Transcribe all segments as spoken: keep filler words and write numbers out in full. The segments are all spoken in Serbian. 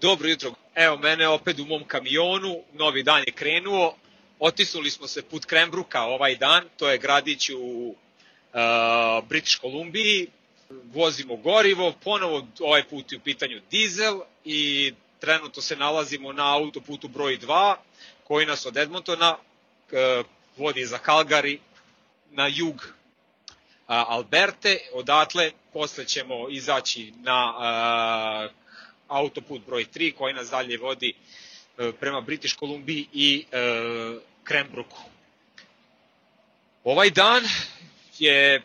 Dobro jutro. Evo mene opet u mom kamionu, novi dan je krenuo. Otisnuli smo se put Cranbrooka ovaj dan, to je gradić u uh, British Kolumbiji. Vozimo gorivo, ponovo ovaj put je u pitanju dizel i trenutno se nalazimo na autoputu broj dva koji nas od Edmontona uh, vodi za Calgary na jug uh, Alberte. Odatle posle ćemo izaći na uh, autoput broj tri koji nas dalje vodi uh, prema British Kolumbiji i uh, Cranbrooku. Ovaj dan je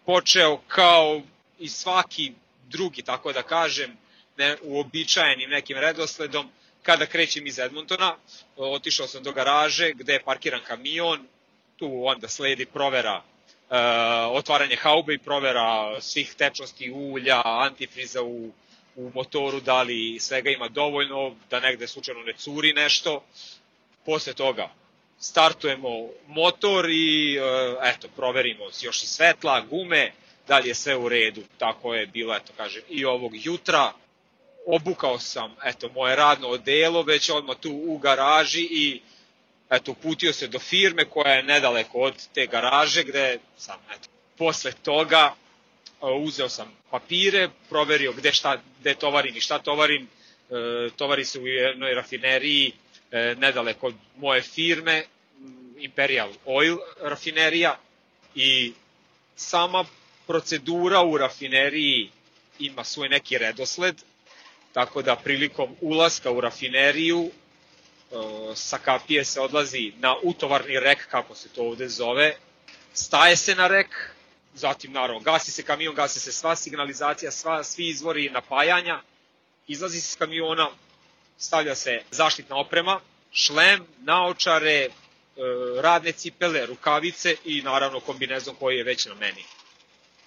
počeo kao i svaki drugi, tako da kažem, ne, uobičajenim nekim redosledom. Kada krećem iz Edmontona, otišao sam do garaže gde je parkiran kamion, tu onda sledi provera, uh, otvaranje haube i provera svih tečnosti ulja, antifriza u, u motoru, da li svega ima dovoljno, da negde slučajno ne curi nešto. Posle toga startujemo motor i uh, eto, proverimo još i svetla, gume, da li je sve u redu. Tako je bilo, eto kažem, i ovog jutra. Obukao sam, eto, moje radno odelo već odmah tu u garaži i eto, uputio se do firme koja je nedaleko od te garaže gde sam, eto, posle toga uzeo sam papire, proverio gde, šta, gde tovarim i šta tovarim. E, tovari se u jednoj rafineriji e, nedaleko od moje firme, Imperial Oil rafinerija, i sama procedura u rafineriji ima svoj neki redosled, tako da prilikom ulaska u rafineriju sa kapije se odlazi na utovarni rek, kako se to ovde zove, staje se na rek, zatim naravno gasi se kamion, gasi se sva signalizacija, sva, svi izvori napajanja, izlazi se s kamiona, stavlja se zaštitna oprema, šlem, naočare, radne cipele, rukavice i naravno kombinezon koji je već na meni.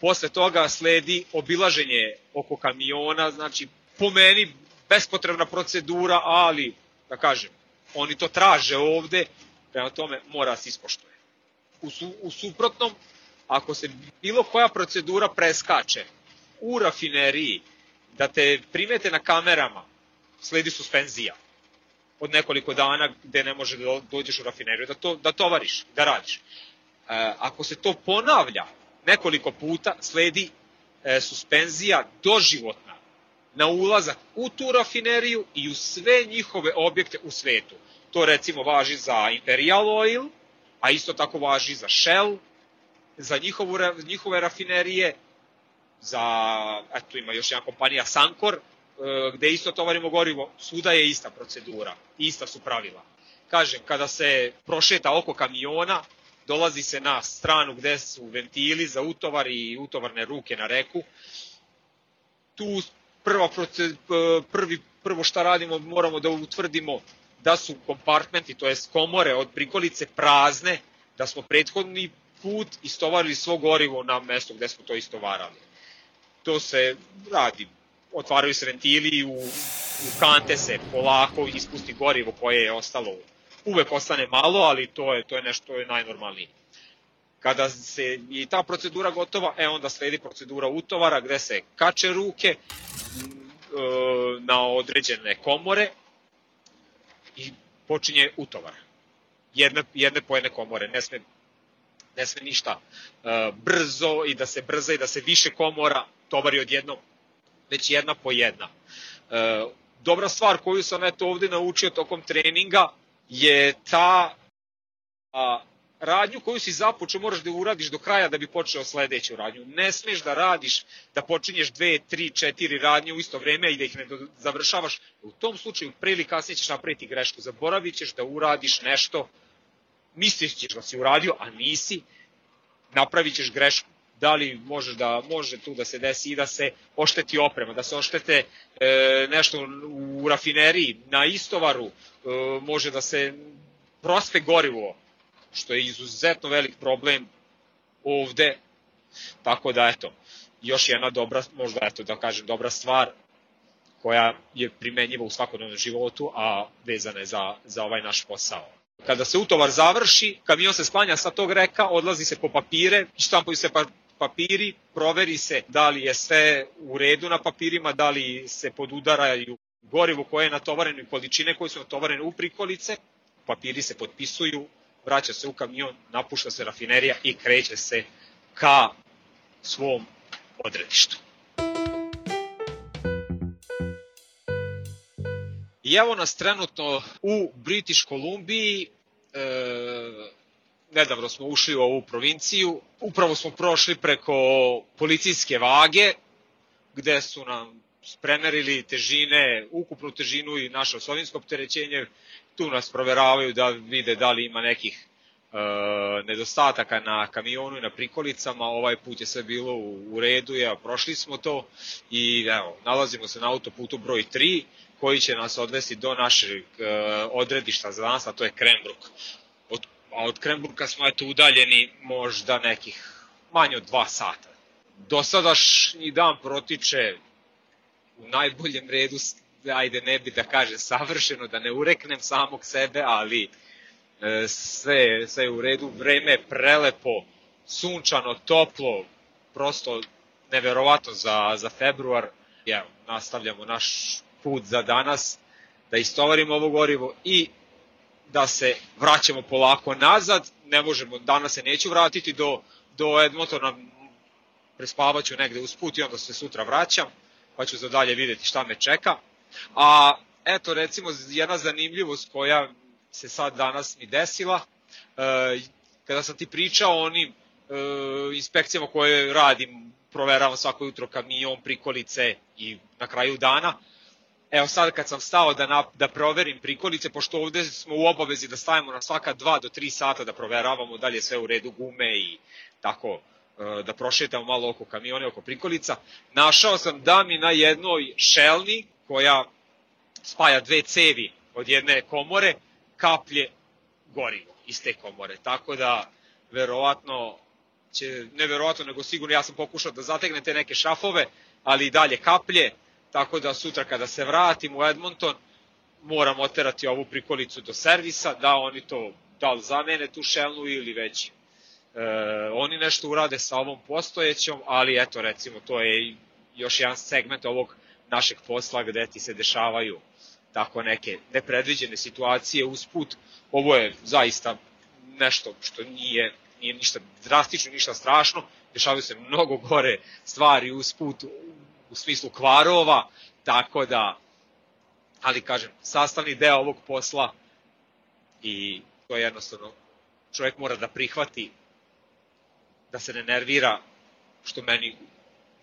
Posle toga sledi obilaženje oko kamiona, znači po meni bespotrebna procedura, ali da kažem, oni to traže ovde, prema tome mora se ispoštuje. U, su, u suprotnom, ako se bilo koja procedura preskače u rafineriji, da te primete na kamerama, sledi suspenzija od nekoliko dana gde ne može da dođeš u rafineriju, da, to, da tovariš, da radiš. E, ako se to ponavlja nekoliko puta, sledi e, suspenzija doživotna na ulazak u tu rafineriju i u sve njihove objekte u svetu. To recimo važi za Imperial Oil, a isto tako važi za Shell, za njihovu, njihove rafinerije, za, eto ima još jedna kompanija Sankor, gde isto tovarimo gorivo, svuda je ista procedura, ista su pravila. Kažem, kada se prošeta oko kamiona, dolazi se na stranu gde su ventili za utovar i utovarne ruke na reku. Tu prva prvi, prvo šta radimo, moramo da utvrdimo da su kompartmenti, to jest komore od prikolice prazne, da smo prethodni put istovarili svo gorivo na mesto gde smo to istovarali. To se radi, otvaraju se ventili i u, u kante se polako ispusti gorivo koje je ostalo. Uvek ostane malo, ali to je, to je nešto to je najnormalnije. Kada se i ta procedura gotova, e onda sledi procedura utovara gde se kače ruke na određene komore i počinje utovar. Jedne, jedne po jedne komore, ne sme, ne sme ništa brzo i da se brza i da se više komora tovari odjednom, već jedna po jedna. Dobra stvar koju sam eto ovde naučio tokom treninga je ta a, radnju koju si započeo moraš da uradiš do kraja da bi počeo sledeću radnju. Ne smeš da radiš, da počinješ dve, tri, četiri radnje u isto vreme i da ih ne završavaš. U tom slučaju pre ili kasnije ćeš napraviti grešku. Zaboravit ćeš da uradiš nešto, misliš ćeš da si uradio, a nisi, napravit ćeš grešku. Da li može, da, može tu da se desi i da se ošteti oprema, da se oštete e, nešto u rafineriji, na istovaru, e, može da se prospe gorivo, što je izuzetno velik problem ovde. Tako da, eto, još jedna dobra, možda, eto, da kažem, dobra stvar koja je primenjiva u svakodnevnom životu, a vezana je za, za ovaj naš posao. Kada se utovar završi, kamion se sklanja sa tog reka, odlazi se po papire, štampaju se pa papiri, proveri se da li je sve u redu na papirima, da li se podudaraju gorivo koje je natovareno i količine koje su natovarene u prikolice, papiri se potpisuju, vraća se u kamion, napušta se rafinerija i kreće se ka svom odredištu. I evo nas trenutno u British Kolumbiji, e, nedavno smo ušli u ovu provinciju, upravo smo prošli preko policijske vage, gde su nam premerili težine, ukupnu težinu i naše osovinsko opterećenje, tu nas proveravaju da vide da li ima nekih e, nedostataka na kamionu i na prikolicama, ovaj put je sve bilo u, u redu, evo, prošli smo to i evo, nalazimo se na autoputu broj tri, koji će nas odvesti do našeg e, odredišta za danas, a to je Cranbrook. Od, a od Cranbrooka smo eto udaljeni možda nekih manje od dva sata. Dosadašnji dan protiče u najboljem redu, ajde ne bi da kažem savršeno, da ne ureknem samog sebe, ali e, sve, sve je u redu, vreme je prelepo, sunčano, toplo, prosto neverovatno za, za februar. Evo, nastavljamo naš put za danas, da istovarimo ovo gorivo i da se vraćamo polako nazad. Ne možemo, danas se neću vratiti do, do Edmontona, prespavaću negde usput i onda se sutra vraćam, pa ću za dalje vidjeti šta me čeka. A eto recimo jedna zanimljivost koja se sad danas mi desila, e, kada sam ti pričao o onim e, inspekcijama koje radim, proveravam svako jutro kamion, prikolice i na kraju dana, evo sad kad sam stao da, na, da proverim prikolice, pošto ovde smo u obavezi da stavimo na svaka dva do tri sata da proveravamo da li je sve u redu, gume i tako, da prošetamo malo oko kamione, oko prikolica, našao sam da mi na jednoj šelni koja spaja dve cevi od jedne komore kaplje gorivo iz te komore. Tako da, verovatno, će, ne verovatno, nego sigurno ja sam pokušao da zategnem te neke šrafove, ali i dalje kaplje, tako da sutra kada se vratim u Edmonton, moram oterati ovu prikolicu do servisa, da oni to, da li zamene tu šelnu ili već E, oni nešto urade sa ovom postojećom, ali eto recimo to je još jedan segment ovog našeg posla gde ti se dešavaju tako neke nepredviđene situacije usput. Ovo je zaista nešto što nije, nije ništa drastično, ništa strašno, dešavaju se mnogo gore stvari usput u smislu kvarova, tako da, ali kažem, sastavni deo ovog posla i to je jednostavno čovjek mora da prihvati, da se ne nervira, što meni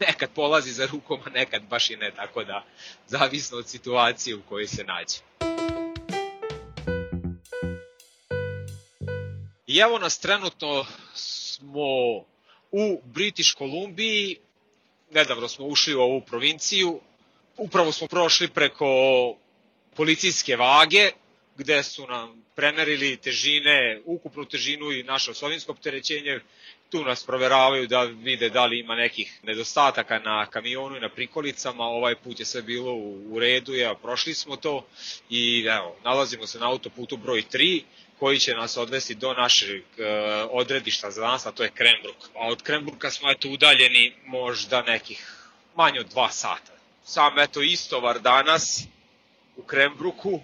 nekad polazi za rukom, a nekad baš i ne, tako da zavisno od situacije u kojoj se nađe. I evo nas trenutno smo u British Kolumbiji, nedavno smo ušli u ovu provinciju, upravo smo prošli preko policijske vage, gde su nam premerili težine, ukupnu težinu i naše osovinsko opterećenje, tu nas proveravaju da vide da li ima nekih nedostataka na kamionu i na prikolicama, ovaj put je sve bilo u, u redu, evo, prošli smo to i evo, nalazimo se na autoputu broj tri, koji će nas odvesti do našeg e, odredišta za danas, a to je Cranbrook. A od Cranbrooka smo eto udaljeni možda nekih manje od dva sata. Sam eto istovar danas u Cranbrooku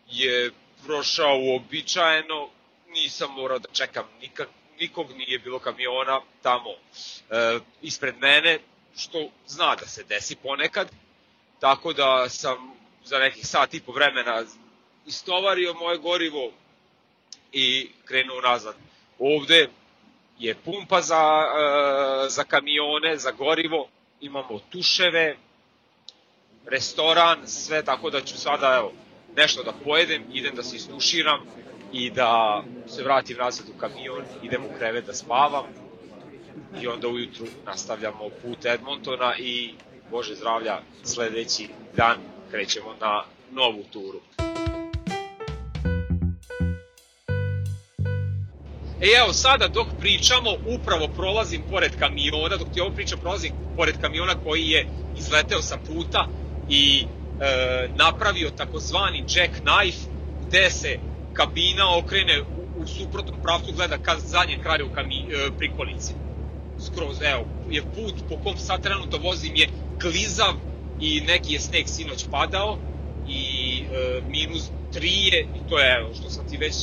je prošao uobičajeno, nisam morao da čekam nikak, nikog, nije bilo kamiona tamo e, ispred mene, što zna da se desi ponekad, tako da sam za nekih sat i po vremena istovario moje gorivo i krenuo nazad. Ovde je pumpa za, e, za kamione, za gorivo, imamo tuševe, restoran, sve, tako da ću sada evo, nešto da pojedem, idem da se istuširam i da se vratim nazad u kamion, idem u krevet da spavam i onda ujutru nastavljamo put Edmontona i, Bože zdravlja, sledeći dan krećemo na novu turu. E evo sada dok pričamo, upravo prolazim pored kamiona, dok ti ovo pričam prolazim pored kamiona koji je izleteo sa puta i e, napravio takozvani jackknife, gde se kabina okrene u, u suprotnom pravcu, gleda ka zadnjem kraju kami, e, prikolice. Skroz, evo, je put po kom sad trenutno vozim je klizav, i neki je sneg sinoć padao i e, minus tri je, i to je što sam ti već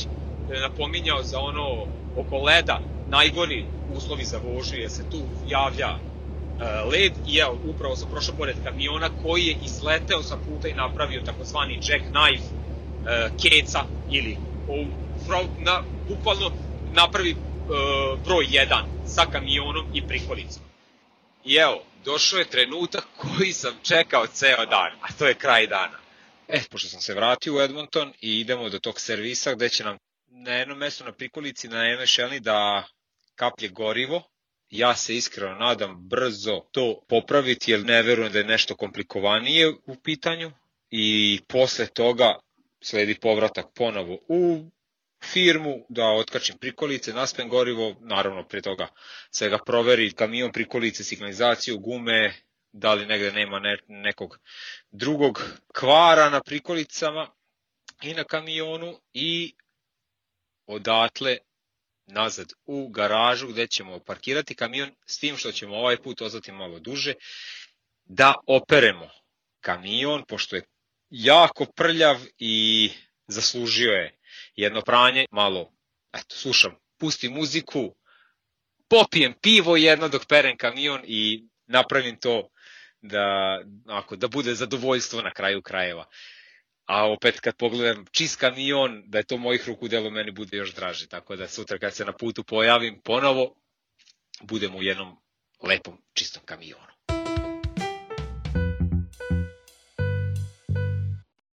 napominjao za ono oko leda, najgori uslovi za vožnju jer se tu javlja e, led i evo, upravo sam prošao pored kamiona koji je izleteo sa puta i napravio takozvani jackknife e, keca ili o, na, bukvalno napravi e, broj jedan sa kamionom i prikolicom. I evo, došao je trenutak koji sam čekao ceo dan, a to je kraj dana. E, pošto sam se vratio u Edmonton i idemo do tog servisa gde će nam na jednom mestu na prikolici, na jednoj šelni da kaplje gorivo. Ja se iskreno nadam brzo to popraviti jer ne verujem da je nešto komplikovanije u pitanju. I posle toga sledi povratak ponovo u firmu da otkačim prikolice, naspem gorivo, naravno pre toga svega proveri kamion, prikolice, signalizaciju, gume, da li negde nema ne, nekog drugog kvara na prikolicama i na kamionu i odatle nazad u garažu gde ćemo parkirati kamion s tim što ćemo ovaj put ostati malo duže da operemo kamion pošto je jako prljav i zaslužio je jedno pranje, malo eto, slušam, pustim muziku, popijem pivo jedno dok perem kamion i napravim to da, ako, da bude zadovoljstvo na kraju krajeva. A opet kad pogledam čist kamion, da je to mojih ruku delo, meni bude još draže. Tako da sutra kad se na putu pojavim ponovo, budemo u jednom lepom čistom kamionu.